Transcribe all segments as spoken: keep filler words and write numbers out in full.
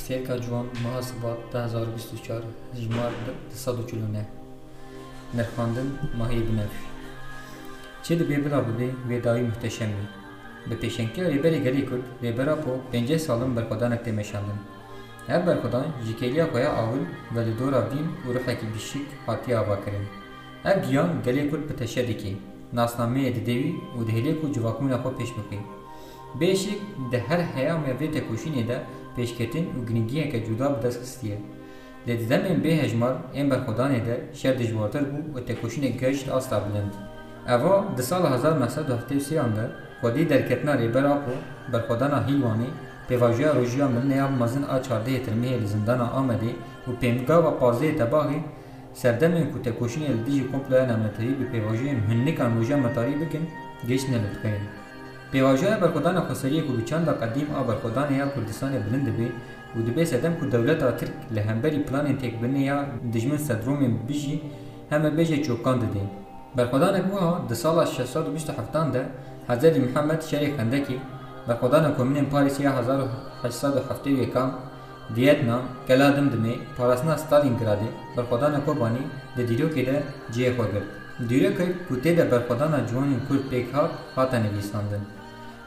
Sêrka Ciwan, meha Sibat du hezar û bîst û çar, hejmar du sed û çil û neh. Nirxandin, Mahiyê Binevş. Çi dibe bila bibe, wê dawî muhteşem be. Bi pêşengtiya Rêberê Gelê Kurd, Rêber Apo, pêncî sal in berxwedanek tê meşandin. Ev berxwedan ji kêliya xwe ya awil ve li dora vîn û ruhekî bişik hatiye avakirin. Ev giyan gelê Kurd bi teşe dike, nasnameyê dide wî û dihêle ku civakbûna xwe pêş bixwe. Bêşik di her heyama vê tekoşînê de pêşketin û girîngiyeke cuda bi dest xistiye. Lê di demên bê hejmar ên berxwedanê de şer dijwartir bû û tekoşînek gihişt asta bilind. Eva di sala hezar neh sed û heftê û sê an de xwedî derketina Rêber Apo, berxwedana Hîlwanê, pêvajoya rojiya mirinê ya mezin a çardehê Tirmehê li zindana Amedê û pêmgava pazdehê Tebaxê, serdemên ku tekoşînê li dijî komploya navnetewî bi pêvajoyên hûn nikan roja me tarî bikin, gihiştine li dikeyên. Pêvajoya berxwedana xweseriyê ku bi çanda qedîm a berxwedanê ya Kurdistanê bilind dibe û dibe sedem ku dewleta Tirk li hemberî planên têkbirinê ya dijmin sendromên bijî heme bêje çokan dide. Berxwedanek wiha di sala şeş sed û bîst û heftan de Hezretî Mihemed şerê Xendekê, berxwedana komînên Parîsê ya hezar û heşt sed û heftê û yekan, Vietnam, Kela Dimdimê, parastina Stalingradê, berxwedana Kobanî di dîrokê de cihê xwe girt. Dîrokek ku tê de berxwedana ciwanên Kurd pêk hat, hate nivîsandin.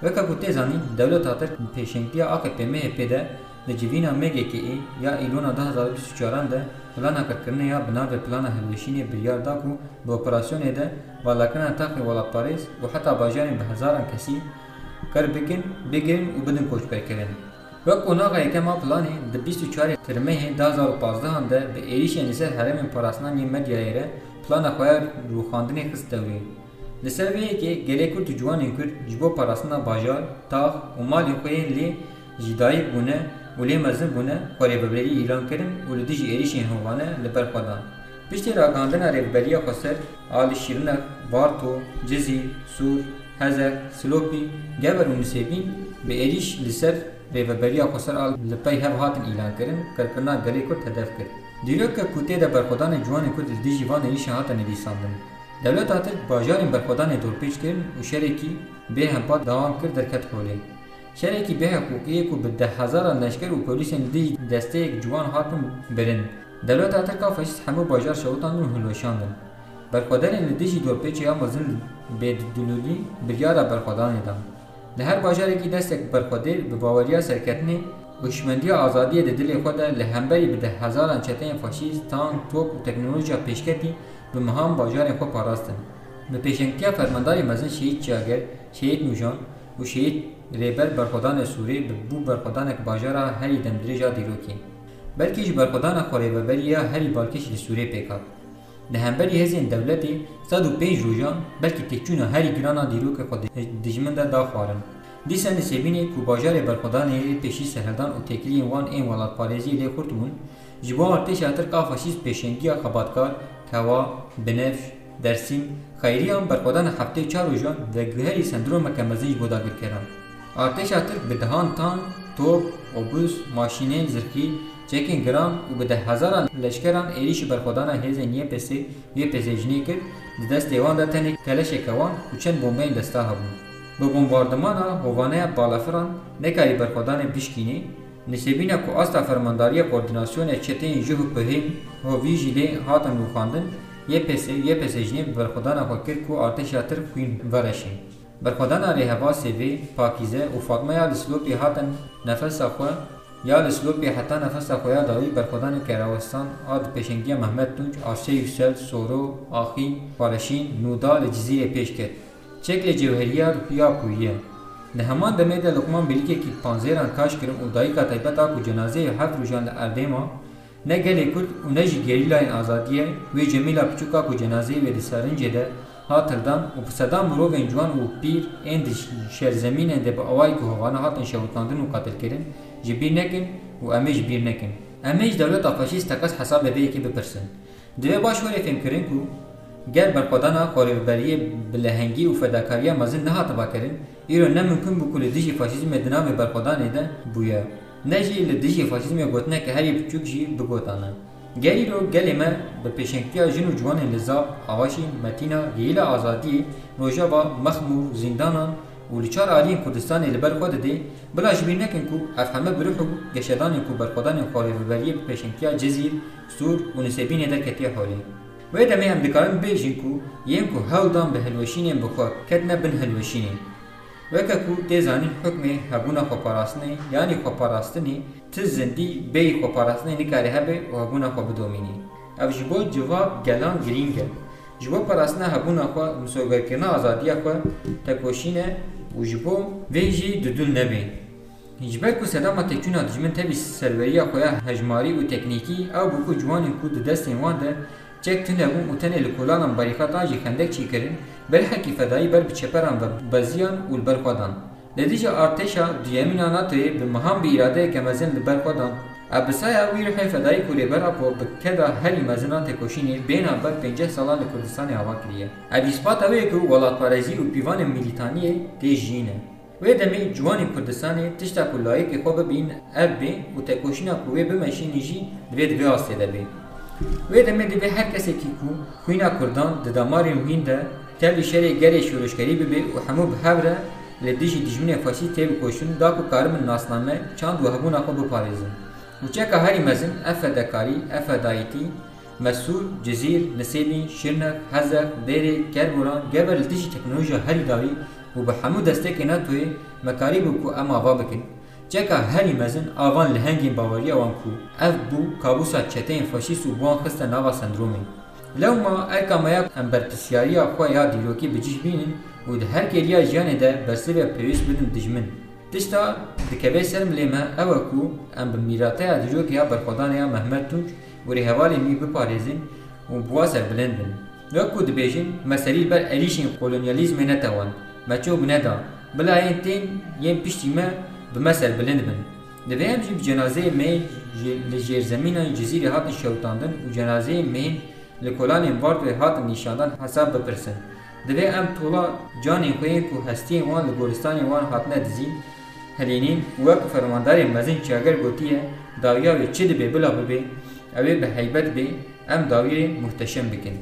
Weke ku tê zanîn, dewleta Tirk bi pêşengtiya A K P M H P de di civîna M G K'ê ya Îlona du hezar û bîst û çaran de plana qirkirinê ya bi navê Plana Hilweşînê biryar da ku bi operasyonê de valakirina taxê welatparêz û heta bajarên bi hezaran kesî qir bikin, bigirin û bidin koçberkirin. Wek qonaxa yekem a planê, di bîst û çarê Tirmehê du hezar û pazdeh an de bi êrîşên li ser herêmên parastina yên Medyayê re plana xwe ya rûxandinê xist dewrê. Li ser vê yekê gelê Kurd û ciwanên Kurd ji bo parastina bajar, tax û malên xwe yên lê ji dayik bûne û lê mezin bûne, xwe rêveberî îlan kirin û li dijî êrîşên hovane li ber xwe dan. Piştî ragihandina Rêveberiya Xweser a li Şîrnex, Varto, Cizîr, Sûr, Hezex, Silopî, Gever û Nisêbîn bi êrîş li ser Rêveberiya Xweser a li pey hev hatin îlankirin, qirkirina gelê Kurd hedef kir. Dîrokek ku tê de berxwedanên ciwanên Kurd li dijî van êrîşan hate nivîsandin. Dewleta Tirk bajarên berxwedanê dorpêç kirin û şerekî bêhempa dewam kir derket holê. Şerekî bêhiqûqî ye ku bi deh hezaran leşker û polîsên li dijî desteyek ciwan hatin birin. Dewleta Tirk a faşîst hemû bajar şewitandin û hilweşandin. Berxwedanên li dijî dorpêçê ya mezin li Bêdilolî biryara berxwedanê dan. Li her bajarekî destek berxwedêr bi baweriya serketinê û hişmendiya azadiyê di dilê xwe de li hemberî bi deh hezaran çeteyên faşîst, tank, top û teknolojiya pêşketî bi mehan bajarên xwe parastin. Bi pêşengtiya fermandarê mezin Şehîd Çiyager, Şehîd Nûjan û Şehîd Rêber berxwedanê Sûrê bi bû berxwedanek bajara herî demdirêj a dîrokê. Belkî ji berxwedana xwerêveberî ya herî balkêş li Sûrê pêk hat. Di hemberî hêzên dewletê sed û pênc rojan belkî têkçûna herî giran a dîrokê xwe di dijmin de da xwarin. Dîsa Nisêbînê ku bajarê berxwedanê yê pêşî serhildan û têkiliyên wan ên welatparêziyê lê xurt bûn, ji bo artêşa Tirk a faşîst pêşengiya xebatkar, Kewa, Binevş, Dersîm, Xeyriyan berxwedana heftê û çar rojan veguherî sendromeke mezin ji bo dagirkeran. Artêşa Tirk bi dehan tank, top, obus, maşînên zirxî, çekên giran û bi deh hezaran leşkeran êrîşî berxwedana hêzên Y P S, Y P S jinê kir, di destê wan de tenê keleşeke wan û çend bombeyên desta hebûn. Bi bombardimana hovaneya balafiran nekarî berxwedanê bişkînê, Nisêbîna ku asta fermandariya koordînasyonê çeteyên J H P hên Hovî jî lê hatin rûxandin, Y P S, Y P S jinê bi berxwedana xwe kir ku artêşa Tirk xwîn vereşê. Berxwedana rêheva Sêvê, Pakîze û Fatma ya li Silopê hatin nefesa xwe, ya li Silopê heta nefesa xwe ya dawî berxwedaneke rawestan a di pêşengiya Mehmet Tunç, Arsê Yüksel, Soro, Axîn, Xwareşîn, Nûda li Cizîrê pêş ket. Çek li cewheriya ya ku ye. Di heman demê de Luqman Bilîkekî panzêran kaş kirin û dayika taybet a ku cenazeyê heft rojan li erdê ma, ne gelê Kurd û ne jî gerîlayên azadiyê wê Cemîla Piçûk a ku cenazeyê wê di serincê de hat hildan û bi sedan mirovên ciwan û pîr ên di şerzemînên de bi awayekî hovane hatin şewitandin û qatilkirin, ji bîr nekin û em ê ji bîr nekin. Em ê ji dewleta faşîst teqez hesabê vê yekê bipirsin. Divê baş were fêmkirin ku ger berxwedana xwerêveberiyê bi lehengî û fedakariya mezin nehatiba kirin, îro ne mimkun bû ku li dijî faşîzmê di navê berxwedanê de bûye, ne jî li dijî faşîzmê gotineke herî biçûk jî bigotane. Ger îro gelê me bi pêşengtiya jin û ciwanên li Zap, Avaşîn, Metîna, Gihîla Azadiyê, Rojava, Mexmûr, zîndanan, û li çar aliyên Kurdistanê li ber xwe dide, bila ji bîr nekin ku ev heme bi ruh û geşedanên ku berxwedanên xwarêveberiyê bi pêşengtiya Cizîr, Sûr û Nisêbînê derketiye holê. Wê demê em dikarin bêjin ku yên ku hewl dan bi hilweşînên bi xwe ketine bin hilweşînê. Weke ku tê zanîn hukmê hebûna xweparastinê, yanî xweparastinê, ti zindî bêyî xweparastinê nikare hebe û hebûna xwe bidomînî. Ev ji bo civak gelan girîng e. Ji bo parastina hebûna xwe, misogerkirina azadiya xwe, tekoşîn e û ji bo vê jî dudûl nebê. Ji ber ku sedema têkçûna dijmin tevî serweriya xwe ya hejmarî û teknîkî ew bû ku ciwanên ku di destên wan de çek tune bûn û tenê li kolanan barîkatan jî xendek çêkirin, belhekî fedayî ber bi çeperan ve beziyan û li ber xwe dan. Li dijî artêşa duyemîn a NATOyê bi mehan bi îradeyeke mezin li ber xwe dan. Ev bi saya wî ruhê fedayî ku Rêber Apo bi keda herî mezin a têkoşînê bêhna ber pênceh salan li Kurdistanê ava kiriye. Ev îspata wê ye ku welatparêzî û pîvanên mîlîtaniyê tê jiyîn e. Wê demê ciwanên Kurdistanê tişta ku layîqê xwe bibîn ev bê û tekoşîna ku wê bimeşînin jî divê di vê astê de bê. Wê demê divê her kesekî ku xwîna Kurdan di damarên wîn de tevlî şerê gelê şoreşgerî bibe û hemû bi hev re li dijî dijminê faşîst têbikoşin da ku karibin nasname, çand û hebûna xwe biparêzin. Û çeka herî mezin ev fedekarî, ev fedayîtî, Mesûr, Cizîr, Nisêbîn, Şirnex, Hezex, Dêrê, Kerboran, Gever li dijî teknolojiya herî dawî û bi hemû destekê NATOyê me karîbû ku em ava bikin. Çeka herî mezin a van lehengên baweriya wan ku ev bû kabûsa çeteyên faşîst û bi wan xiste nava sendromê. Lewma erka me ya em berpirsyariya xwe ya dîrokî bi cih bînin û di her kêliya jiyanê de bersivê pêwîst bidin dijmin. Tişta dikeve ser milê me ew e ku em bi mîrateya dîrokê ya berxwedanê ya Mehmet Tunç û rêhevalên wî biparêzin û bi wa serbilind bin. Wek ku dibêjin, me serî li ber êrîşên kolonyalîzmê netewand, me çok neda, bila yên tên yên piştî me bi me serbilind bin. Divê em jî bi cenazeyê me ji, li jêrzemîna Cizîrê hatin şewitandin û cenazeyê me yên li kolanên Vartoyê hatin nîşandan hesab bipirsin. Divê em tola canên xwe yên ku hestiyên wan li goristanên wan hatine dizîn, hilînîn û wek fermandarê mezin Çager gotiye, dawiya wê çi dibe bila bibe, ew ê bi heybet bê, em dawiyê muhteşem bikin.